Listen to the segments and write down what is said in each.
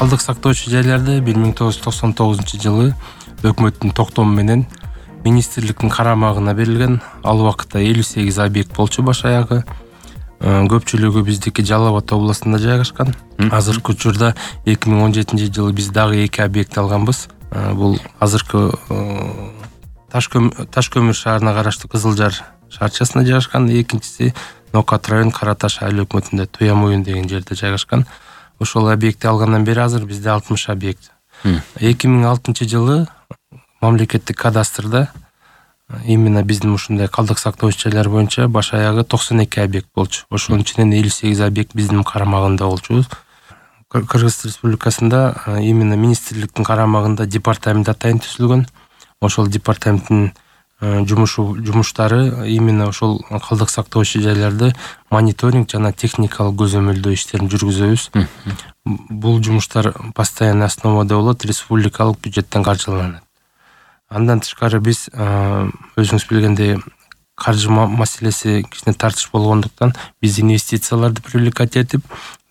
Калдык сактоочу жайларды 1999-жылы өкмөттүн токтому менен министрликтин карамагына берилген. Ал убакытта 58 объект болчу баш аягы. Көпчүлүгү биздики Жалал Абад областында жайгашкан. Азыркы учурда 2017-жылы биз дагы 2 объект алганбыз. Бул азыркы Таш көмүр шаарына караштуу Кызылжар шаарчасында жайгашкан. Экинчиси Нокат район Караташ айыл өкмөтүндө Туямуюн деген жерде жайгашкан. Ошол объектти алгандан бери азыр бизде 60 объект. 2006-жылы мамлекеттик кадастрда именно биздин ушундай калдык сактоочу жайлар боюнча баш аягы 92 объект болчу. Ошонун ичинен 58 объект биздин карамагында болчу. Кыргыз Республикасында именно министрликтин карамагында департамент атайын түзүлгөн. Ошол департаменттин жумуштары именно ошол калдык сактоочу жайларды мониторинг жана техникалык көзөмөлдөө иштерин жүргүзөбүз. Бул жумуштар постоянный основада болот, республикалык бюджеттен каржыланат. Андан тышкары биз өзүңүз билгендей каржы маселеси кичине тартыш болгондуктан биз инвестицияларды привлекать этип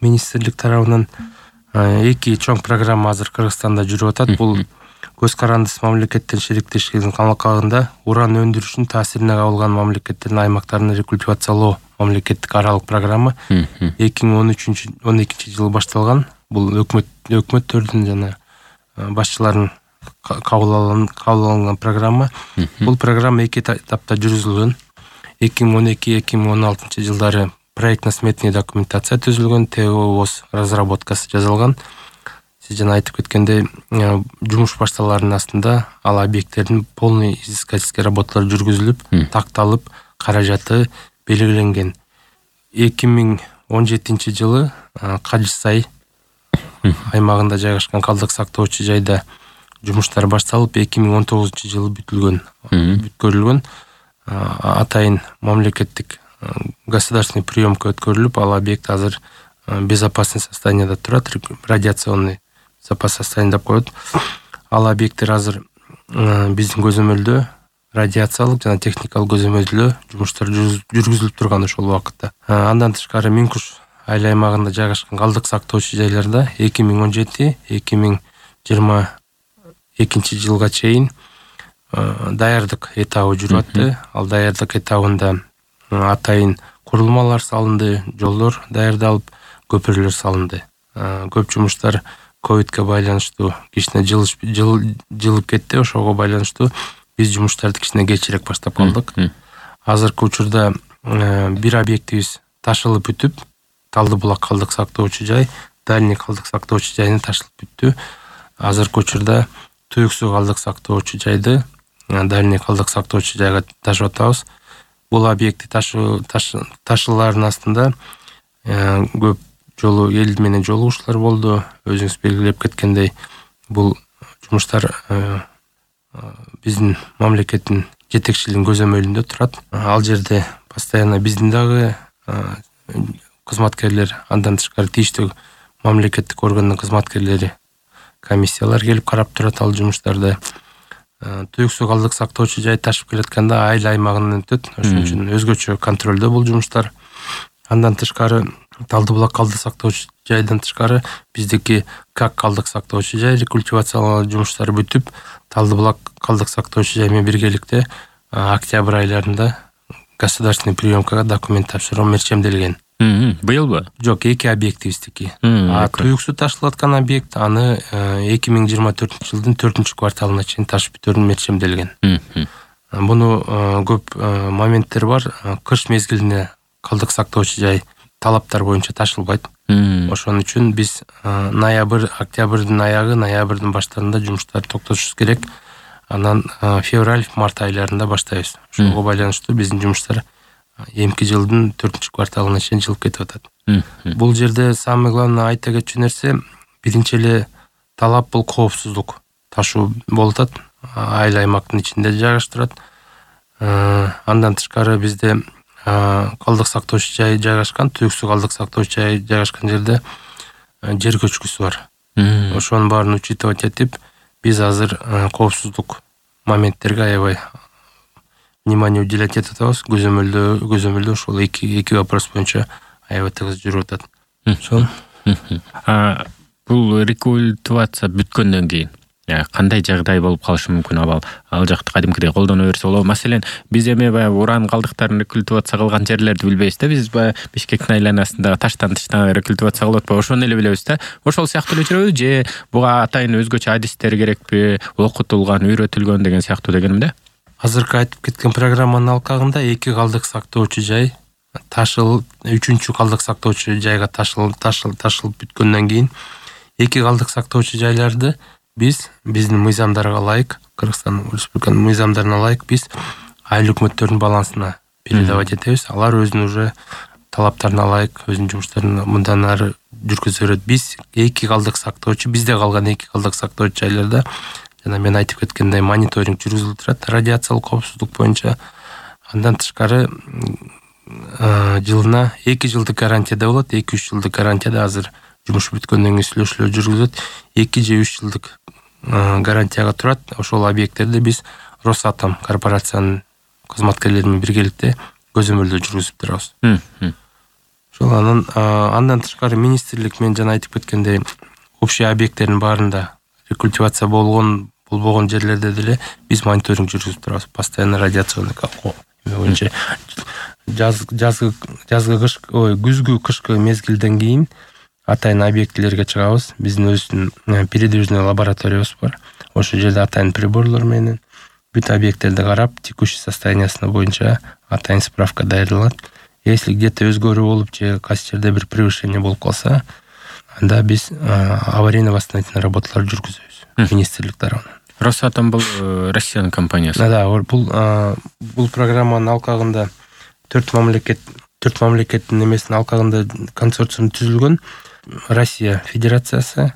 министрлик тарабынан 2 чоң программа азыр Кыргызстанда жүрүп атат. Бул көз карандысыз мамлекеттен шериктештиктин алкагында уран өндүрүшүнүн таасирине кабылган мамлекеттердин аймактарын рекультивациялоо мамлекеттик аралык программа 2012-жылы башталган. Бул өкмөттөрдүн жана башчылардын кабыл алынган программа. Бул программа 2 этапта жүргүзүлгөн. 2012-2016 жылдары проектно-сметный документация түзүлгөн, ТООС разработкасы жазылган. Сиз жана айтып кеткендей, жумуш башталарынын астында ал объекттердин полный изыскательский работалар жүргүзүлүп, такталып, каражаты белгиленген. 2017-жылы Кажысай аймагында жайгашкан калдык сактоочу жайда жумуштар башталып, 2019-жылы бүткөрүлгөн. Атайын мамлекеттик государственный приемка өткөрүлүп, ал объект азыр безопасный состоянияда турат, радиационный запас состояние деп коет. Ал объекттер азыр биздин көзөмөлдө радиациялык жана техникалык көзөмөлдөө жумуштар жүргүзүлүп турган ошол убакытта. Андан тышкары Минкуш айыл аймагында жайгашкан калдык сактоочу жайларда 2017-2022 чейин даярдык этабы жүрүп атты. Ал даярдык этабында атайын курулмалар салынды, жолдор даярдалып, көпүрлөр салынды. Көп жумуштар ковидке байланыштуу кичине жылып кетти. Ошого байланыштуу биз жумуштарды кичине кечирээк баштап калдык. Азыркы учурда бир объектибиз ташылып бүтүп, Талдыбулак калдык сактоочу жай, Дальний калдык сактоочу жайына ташылып бүттү. Азыркы учурда Туюк суу калдык сактоочу жайды Дальний калдык сактоочу жайга ташып атабыз. Бул объекти ташылаардын астында көп жолу эл менен жолугушуулар болду. Өзүңүз белгилеп кеткендей, бул жумуштар биздин мамлекеттин жетекчилигинин көзөмөлүндө турат. Ал жерде постоянно биздин дагы кызматкерлер, андан тышкары тийиштүү мамлекеттик органдын кызматкерлери, комиссиялар келип карап турат ал жумуштарды. Туюк суу калдык сактоочу жай ташып келатканда айыл аймагынан өтөт. Ошон үчүн өзгөчө контролдо бул жумуштар. Андан тышкары Талдыбулак калдык сактоочу жайдан тышкары биздики как калдык сактоочу жай рекультивациялоо жумуштары бүтүп, Талдыбулак калдык сактоочу жай менен биргеликте октябрь айларында государственный приемкага документ тапшыруу мерчемделген. Быйылбы? Жок, 2 объектибиздики. Туюк суу ташылып аткан объект аны 2024-жылдын 4-кварталына чейин ташып бүтүүнү мерчемделген. Буну көп моменттер бар. Кыш мезгилине калдык сактоочу жай талаптар боюнча ташылбайт. Ошон үчүн биз октябрдын аягы, ноябрдын баштарында жумуштарды токтотушубуз керек. Анан февраль-март айларында баштайбыз. Ошого байланыштуу биздин жумуштар эмки жылдын 4-кварталына чейин жылып кетип атат. Бул жерде самый главный айта кетчү нерсе, биринчи эле талап бул коопсуздук. Ташуу болуп атат, айыл аймактын ичинде жайгаштырат. Андан тышкары бизде калдык сактоочу жай жайгашкан, Туюк суу калдык сактоочу жай жайгашкан жерде жер көчкүсү бар. Ошонун баарын учитывать этип, биз азыр коопсуздук моменттерге аябай внимание уделять этип атабыз. Көзөмөлдөө ошол эки вопрос боюнча аябай тыгыз жүрүп атат. Ошол. бул рекультивация бүткөндөн кийин кандай жагдай болуп калышы мүмкүн? Ал жакты кадимкидей колдоно берсе болобу? Маселен, биз эми баягы уран калдыктарын рекультивация кылган жерлерди билбейбиз да. Биз баягы Бишкектин айланасындагы таштан рекультивация кылып атпайбы? Ошону эле билебиз да. Ошол сыяктуу эле жүрөбү же буга атайын өзгөчө адистер керекпи, окутулган, үйрөтүлгөн деген сыяктуу дегеним да. Азыркы айтып кеткен программанын алкагында 2 калдык сактоочу жай ташылып, 3-чү калдык сактоочу жайга ташылып бүткөндөн кийин 2 калдык сактоочу жайларды биздин мыйзамдарга ылайык, Кыргызстан Республикасынын мыйзамдарына ылайык биз айыл өкмөттөрдүн балансына передавать этебиз. Алар өзүнүн уже талаптарына ылайык өзүнүн жумуштарын мындан ары жүргүзө берет. Биз 2 калдык сактоочу, бизде калган 2 калдык сактоочу жайларда жана мен айтып кеткендей мониторинг жүргүзүлүп турат радиациялык коопсуздук боюнча. Андан тышкары жылына 2 жылдык гарантияда болот, 2-3 жылдык гарантияда азыр жумуш бүткөндөн кийин сүйлөшүүлөр жүргүзүлөт. 2 же 3 жылдык гарантияга турат. Ошол объекттерди биз Росатом корпорациянын кызматкерлери менен биргеликте көзөмөлдөө жүргүзүп турабыз. Ошол андан тышкары министрлик мен жана айтып кеткендей общий объекттердин баарында рекультивация болбогон жерлерде деле биз мониторинг жүргүзүп турабыз. Постоянно радиационный боюнча күзгү кышкы мезгилден кийин атайын объектилерге чыгабыз. Биздин өзүнүн передвижный лабораториябыз бар. Ошол жерде атайын приборлор менен бүт объекттерди карап, текущий состояниясына боюнча атайын справка даярдалат. Если где-то өзгөрүү болуп же кайсы жерде бир превышение болуп калса, анда биз аварийно-восстановительный работалар жүргүзөбүз министрлик тарабынан. Росатом бул Россиянын компаниясы. Да, бул программанын алкагында 4 мамлекеттин эмесинин алкагында консорциум түзүлгөн. Россия Федерациясы,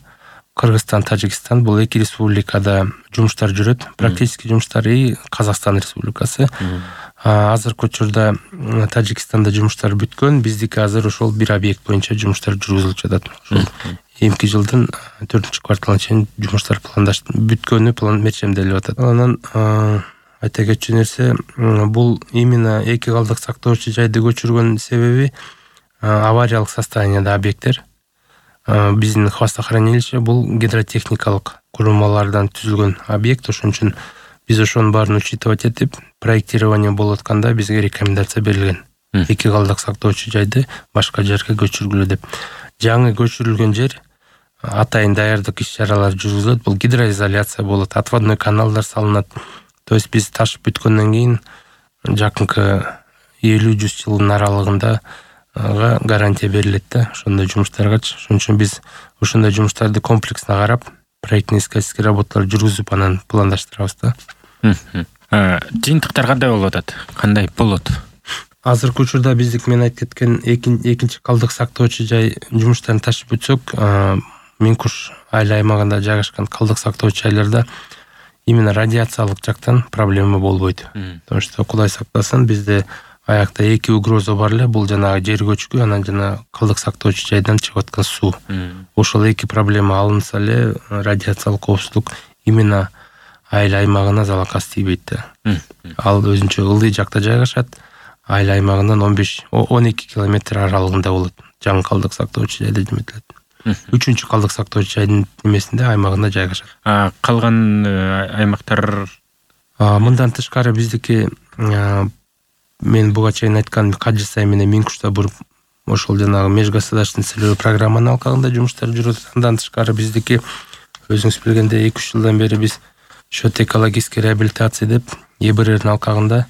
Кыргызстан, Тажикстан бул 2 республикада жумуштар жүрөт, практически жумуштар и Казакстан Республикасы. Азыркы учурда Тажикстанда жумуштар бүткөн, биздики азыр ошол бир объект боюнча жумуштар жүргүзүлүп жатат. Ошол эмки жылдын 4-кварталына чейин жумуштар бүткөнү мерчемделип атат. Анан айта кетчү нерсе, бул именно 2 калдык сактоочу жайды көчүргөн себеби авариялык состоянияда объекттер. Биздин хвостохранилище бул гидротехникалык курулмалардан түзүлгөн объект. Ошон үчүн биз ошонун баарын учитывать этип, проектирование болуп атканда бизге рекомендация берилген. 2 калдык сактоочу жайды башка жерге көчүргүлө деп. Жаңы көчүрүлгөн жер атайын даярдык иш-чаралар жүргүзүлөт. Бул гидроизоляция болот, отводной каналдар салынат. То есть биз ташып бүткөндөн кийин жакынкы 50-100 жылдын аралыгында гарантия берилет да ошондой жумуштаргачы. Ошон үчүн биз ошондой жумуштарды комплексно карап, проектно-искательский работалар жүргүзүп анан пландаштырабыз да. Жыйынтыктар кандай болуп атат? Кандай болот? Азыркы учурда биздик мен айтып кеткен экинчи калдык сактоочу жай жумуштарын ташып бүтсөк, Минкуш айыл аймагында жайгашкан калдык сактоочу жайларда именно радиациялык жактан проблема болбойт. Потому что Кудай сактасын, бизде аякта 2 угроза бар эле. Бул жанагы жер көчкү, анан жана калдык сактоочу жайдан чыгып аткан суу. Ошол 2 проблема алынса эле радиациялык коопсуздук именно айыл аймагына залакас тийбейт да. Ал өзүнчө ылдый жакта жайгашат. Айыл аймагынан 15-12 километр аралыгында болот. Жаңы калдык сактоочу жайда жөнөтүлөт. 3-чү калдык сактоочу жайдын эмесинде аймагында жайгашат. Калган аймактар мындан тышкары биздики мен буга чейин айткан Кажысай менен Минкушта ошол жанагы межгосударственный целевой программанын алкагында жумуштар жүрөт. Андан тышкары биздики өзүңүз билгендей 2-3 жылдан бери биз счет экологической реабилитации деп ЕБРРдин алкагында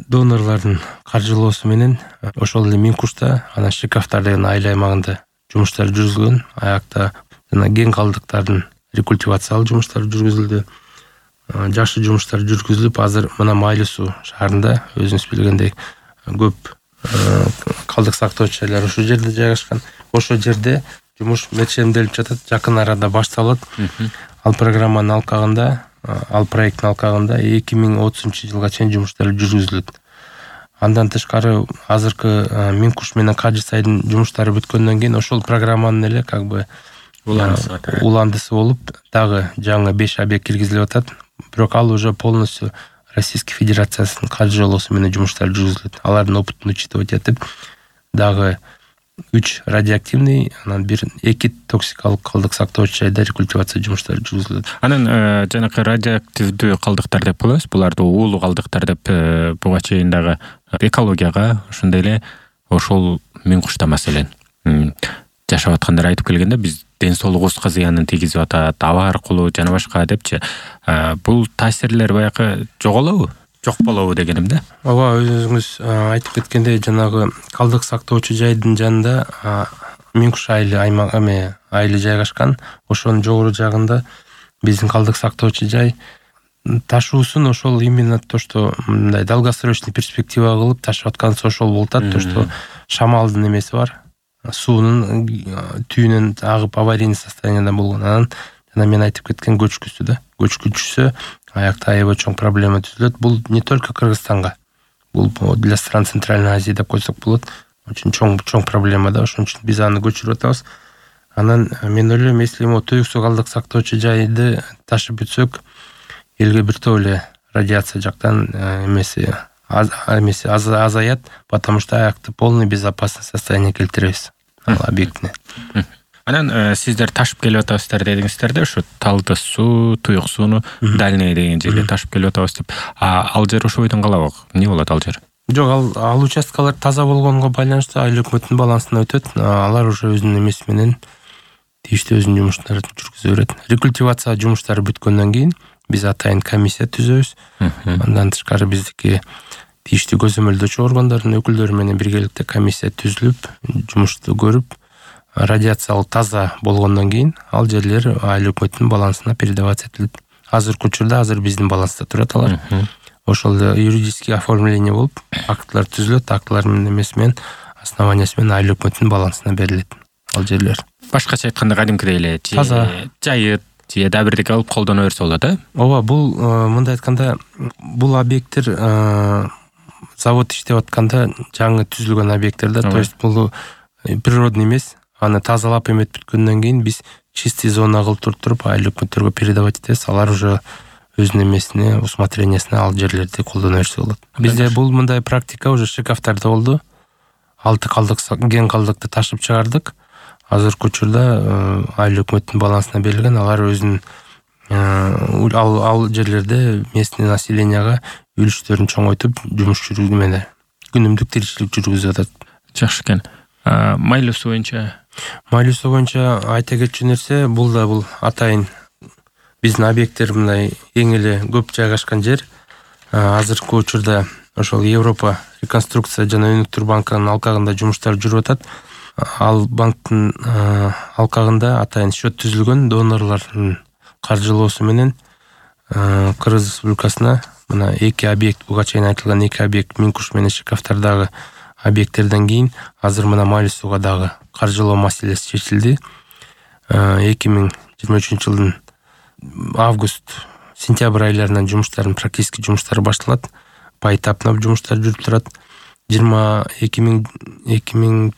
донорлордун каржылоосу менен ошол эле Минкушта, анан Шикафтар деген айыл аймагында жумуштар жүргүзүлгөн. Аякта жана кен калдыктардын рекультивациялык жумуштары жүргүзүлдү. Жакшы жумуштар жүргүзүлүп, азыр мына Майлы суу шаарында өзүңүз билгендей көп калдык сактоочу жайлар ошол жерде жайгашкан. Ошол жерде жумуш мерчемделип жатат, жакын арада башталат. Ал программанын алкагында, ал проекттин алкагында 2030-жылга чейин жумуштар жүргүзүлөт. Андан тышкары азыркы Минкуш менен Кажысайдын жумуштары бүткөндөн кийин ошол программанын эле как бы уландысы болуп, дагы жаңы 5 объект киргизилип атат. Бирок ал уже полностью Российской Федерациясынын каржылоосу менен жумуштар жүргүзүлөт. Алардын опытын учитывать этип, дагы 3 радиоактивный, анан 2 токсикалык калдык сактоочу жайда рекультивация жумуштары жүргүзүлөт. Анан жанакы радиоактивдүү калдыктар деп коебуз. Буларды уулуу калдыктар деп буга чейин дагы экологияга, ошондой эле ошол миң кушта маселен жашап аткандар айтып келгенде, биз ден соолугубузга зыянын тийгизип атат, аба аркылуу жана башка депчи. Бул таасирлер баягы жоголобу? Жок болобу дегеним да. Ооба, өзүңүз айтып кеткендей, жанагы калдык сактоочу жайдын жанында миң куш айылы жайгашкан. Ошонун жогору жагында биздин калдык сактоочу жай ташуусун ошол именно то, что мындай долгосрочный перспектива кылып ташып аткансы ошол болуп атат. То, что шамалдын эмеси бар, суунун түйүнөн агып аварийный состоянияда болгон. Анан жана мен айтып кеткен көчкүсү да. Көчкүчүсү аякта аябай чоң проблема түзүлөт. Бул не только Кыргызстанга, бул для стран Центральной Азии деп койсок болот. Очень чоң проблема да. Ошон үчүн биз аны көчүрүп атабыз. Анан мен ойлойм, если Туюк суу калдык сактоочу жайды ташып бүтсөк, элге бир топ эле радиация жактан эмеси азаят, потому что аякты полный безопасный состояние келтиребиз ал объектине. Анан сиздер ташып келип атабыздар дедиңиздер да, ошо Талдыс суу, Туюк сууну дальний деген жерге ташып келип атабыз деп. Ал жер ошо бойдон калабы? Эмне болот ал жер? Жок, ал участкалар таза болгонго байланыштуу айыл өкмөттүн балансына өтөт. Алар уже өзүнүн эмеси менен тийиштүү өзүнүн жумуштарын жүргүзө берет. Рекультивация жумуштары бүткөндөн кийин биз атайын комиссия түзөбүз. Андан тышкары биздики тийиштүү көзөмөлдөөчү органдардын өкүлдөрү менен биргеликте комиссия түзүлүп, жумушту көрүп, радиациялык таза болгондон кийин ал жерлер айыл өкмөттүн балансына передаваться этилет. Азыркы учурда биздин баланста турат алар. Ошол юридический оформление болуп, актылар түзүлөт, актылардын эмеси менен, основаниясы менен айыл өкмөттүн балансына берилет ал жерлер. Башкача айтканда кадимкидей эле жайыт же да бирдеке алып колдоно берсе болот, Ооба, бул мындай айтканда, бул объекттер завод иштеп атканда жаңы түзүлгөн объекттер да, то есть бул природный эмес. Аны тазалап эметип бүткөндөн кийин биз чистый зона кылып туруп айыл өкмөттөргө передавать этебиз. Алар уже өзүнүн эмесине, усмотрениясына ал жерлерди колдоно берсе болот. Бизде бул мындай практика уже Шыкавтарда болду. 6 ген калдыкты ташып чыгардык. Азыркы учурда айыл өкмөттүн балансына берилген, алар өзүнүн ал жерлерде местный населенияга үлүштөрүн чоңойтуп жумуш жүргүзмөдө. Күнүмдүк тиричилик жүргүзүп атат. Жакшы экен. Майлуу суу боюнча айта кетчү нерсе, бул атайын биздин объекттер мындай эң эле көп жайгашкан жер. Азыркы учурда ошол Европа реконструкция жана өнүктүрүү банкынын алкагында жумуштар жүрүп атат. Ал банктын алкагында атайын счет түзүлгөн, донорлордун каржылоосу менен Кыргыз Республикасына мына 2 объект, буга чейин айтылган 2 объект Миң Куш менен Шыкавтардагы объекттерден кийин азыр мына Майлуу сууга дагы каржылоо маселеси чечилди. 2023 жылдын август-сентябрь айларынан жумуштардын практически жумуштары башталат. Поэтапно жумуштар жүрүп турат. 2030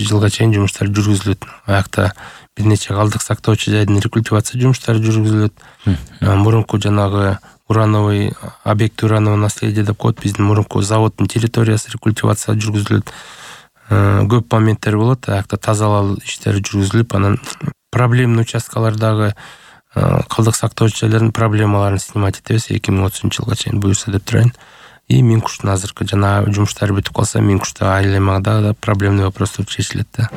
жылга чейин жумуштар жүргүзүлөт. Аякта бир нече калдык сактоочу жайдын рекультивация жумуштары жүргүзүлөт. Мурунку жанагы урановый объект, урановое наследие деп коет, биздин мурунку заводдун территориясы рекультивация жүргүзүлөт. Көп моменттер болот. Аякта тазалоо иштери жүргүзүлүп, анан проблемный участкалардагы калдык сактоочу жайлардын проблемаларын снимать этебиз 2030 жылга чейин буюрса деп турайын. И Миң Куштун азыркы жана жумуштары бүтүп калса, Миң Кушта айыл аймагында да проблемный вопростор чечилет да.